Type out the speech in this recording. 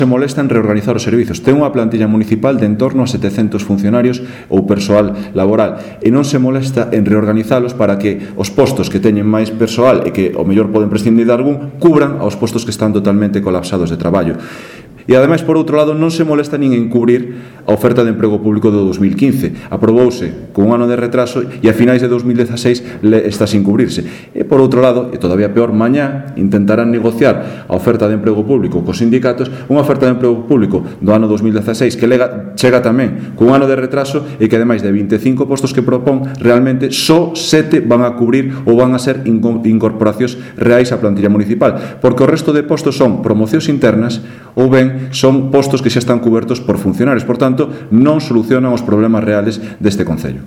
se molesta en reorganizar os servizos. Ten unha plantilla municipal de en torno a 700 funcionarios ou persoal laboral e non se molesta en reorganizalos para que os postos que teñen máis persoal e que ao mellor poden prescindir de algún cubran aos postos que están totalmente colapsados de traballo. E, ademais, por outro lado, non se molesta nin en cubrir a oferta de emprego público do 2015. Aprobouse con un ano de retraso e a finais de 2016 está sin cubrirse. E, por outro lado, e todavía peor, mañá intentarán negociar a oferta de emprego público cos sindicatos, unha oferta de emprego público do ano 2016 que chega tamén con un ano de retraso e que, ademais de 25 postos que propón, realmente só 7 van a cubrir ou van a ser incorporacións reais á plantilla municipal, porque o resto de postos son promocións internas ou ben son postos que xa están cubertos por funcionarios. Por tanto, non solucionan os problemas reales deste concello.